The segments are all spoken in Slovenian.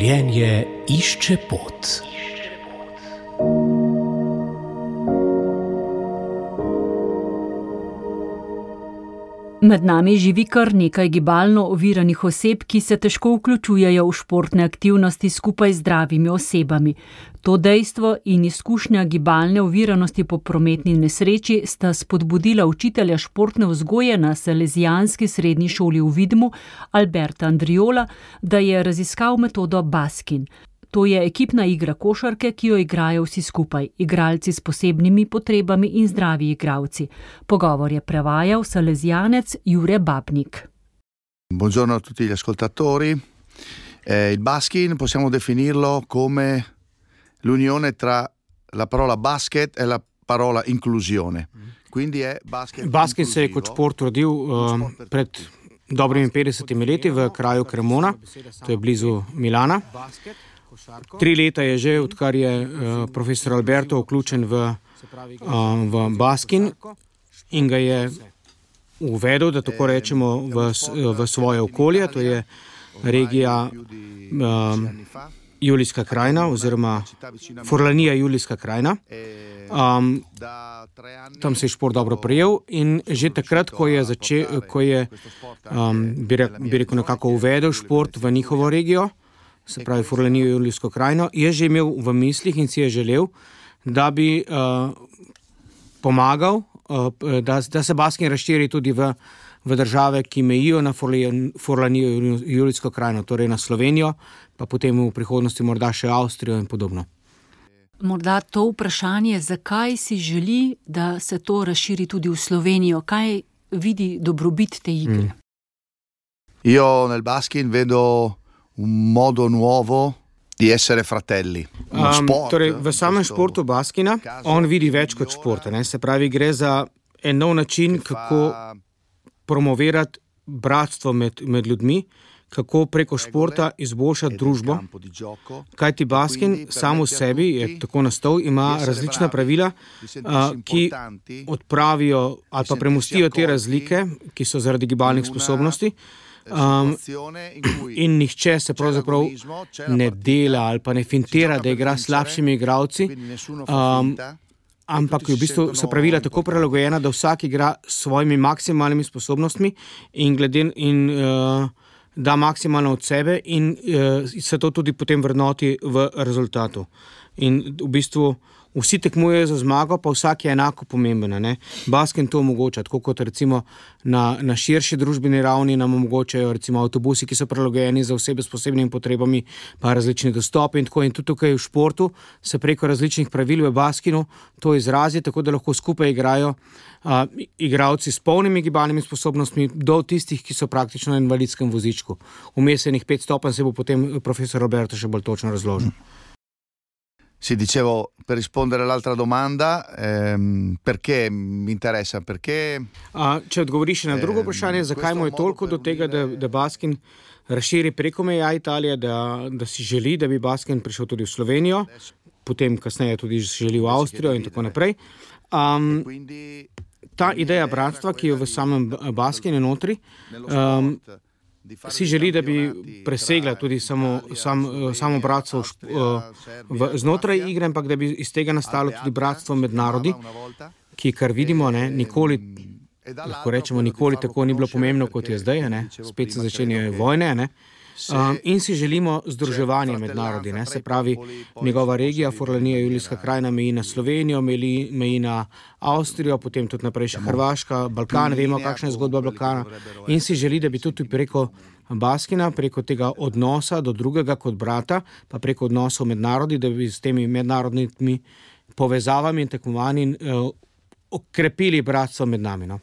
Življenje išče pot. Med nami živi kar nekaj gibalno oviranih oseb, ki se težko vključujejo v športne aktivnosti skupaj z zdravimi osebami. To dejstvo in izkušnja gibalne oviranosti po prometni nesreči sta spodbudila učitelja športne vzgoje na Salezijanski srednji šoli v Vidmu, Alberta Andriola, da je raziskal metodo Baskin. To je ekipna igra košarke, ki jo igrajo vsi skupaj, igralci s posebnimi potrebami in zdravi igralci. Pogovor je prevajal salezijanec Jure Babnik. Buongiorno a tutti gli ascoltatori. Il Baskin possiamo definirlo come l'unione tra la parola basket e la parola inclusione. Quindi è basket. Baskin se je kot šport rodil pred dobrimi 50 leti v kraju Cremona, to je blizu Milana. 3 leta je že, odkar je profesor Alberto vključen v Baskin in ga je uvedel, da tako rečemo, v svoje okolje, to je regija Julijska krajina oziroma Forlanija Julijska krajina. Tam se je šport dobro prijel in že takrat, ko je bi rekel nekako uvedel šport v njihovo regijo, se pravi Forlanijo Julijsko krajino, je že imel v mislih in si je želel, da bi pomagal, da se Baskin razširi tudi v države, ki mejijo na Forlanijo Julijsko krajino, torej na Slovenijo, pa potem v prihodnosti morda še Avstrijo in podobno. Morda to vprašanje, zakaj si želi, da se to razširi tudi v Slovenijo? Kaj vidi dobrobit te igre? Io nel Baskin vedo un modo nuovo di essere fratelli. Torej, v samem športu Baskina on vidi več kot šport. Se pravi, gre za en nov način, kako promovirati bratstvo med ljudmi, kako preko športa izboljšati družbo. Kajti Baskin sam v sebi, je tako nastal, ima različna pravila, ki odpravijo ali pa premostijo te razlike, ki so zaradi gibalnih sposobnosti. In nihče se pravzaprav ne dela ali pa ne fintira, da igra s slabšimi igralci, ampak v bistvu so pravila tako prilagojena, da vsak igra s svojimi maksimalnimi sposobnostmi in da maksimalno od sebe in se to tudi potem vrednoti v rezultatu. In v bistvu vsi tekmujejo za zmago, pa vsak je enako pomemben. Baskin to omogoča, tako kot recimo na širši družbeni ravni nam omogočajo recimo avtobusi, ki so prilagojeni za osebe s posebnimi potrebami, pa različni dostopi in tako. In tudi tukaj v športu se preko različnih pravil v Baskinu to izrazi, tako da lahko skupaj igrajo igralci s polnimi gibalnimi sposobnostmi do tistih, ki so praktično na invalidskem vozičku. Vmesenih 5 stopenj se bo potem profesor Roberto še bolj točno razložil. Sì, dicevo, per rispondere all'altra domanda, perché mi interessa? Perché če odgovoriš na drugo vprašanje, zakaj mu je toliko do tega, da Baskin razširi preko meja Italije, da si želi, da bi Baskin prišel tudi v Slovenijo, potem kasneje tudi želi v Avstrijo in tako naprej. Ta ideja bratstva, ki je v samem Baskinu notri, si želi, da bi presegla tudi samo bratstvo znotraj igre, ampak da bi iz tega nastalo tudi bratstvo med narodi, ki, kar vidimo, nikoli, lahko rečemo, nikoli tako ni bilo pomembno, kot je zdaj, spet se začenjajo vojne, in si želimo združevanje med narodi, se pravi, njegova regija, Forlanija Julijska krajina, meji na Slovenijo, meji na Avstrijo, potem tudi naprej še Hrvaška, Balkan, vemo, kakšna je zgodba Balkana, in si želi, da bi tudi preko Baskina, preko tega odnosa do drugega kot brata, pa preko odnosov med narodi, da bi s temi mednarodnimi povezavami in tekmovanji okrepili bratstvo med nami.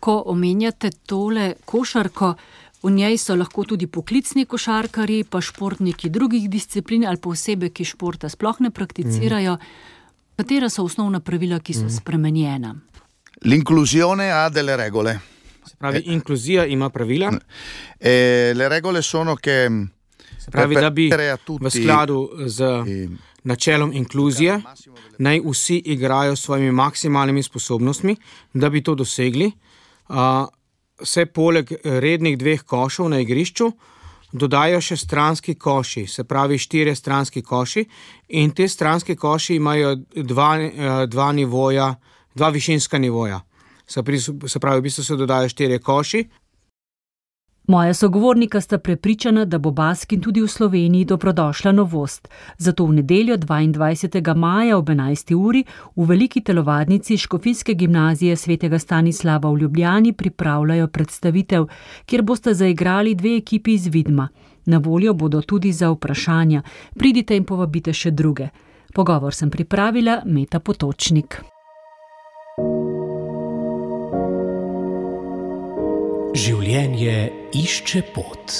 Ko omenjate tole košarko, v njej so lahko tudi poklicni košarkarji, pa športniki drugih disciplin ali pa osebe, ki športa sploh ne prakticirajo. Katera so osnovna pravila, ki so spremenjena? L'inclusione ha delle regole. Se pravi, inkluzija ima pravila. Le regole sono che se pravi, da bi v skladu z načelom inkluzije naj vsi igrajo s svojimi maksimalnimi sposobnostmi, da bi to dosegli. Se poleg rednih 2 košov na igrišču dodajo še stranski koši, se pravi 4 stranski koši, in te stranski koši imajo dva višinska nivoja. Se pravi, v bistvu se dodajo 4 koši. Moja sogovornika sta prepričana, da bo baskin tudi v Sloveniji dobrodošla novost. Zato v nedeljo 22. maja ob 11. uri v veliki telovadnici Škofijske gimnazije svetega Stanislava v Ljubljani pripravljajo predstavitev, kjer bosta zaigrali 2 ekipi iz Vidma. Na voljo bodo tudi za vprašanja. Pridite in povabite še druge. Pogovor sem pripravila Meta Potočnik. Življenje išče pot.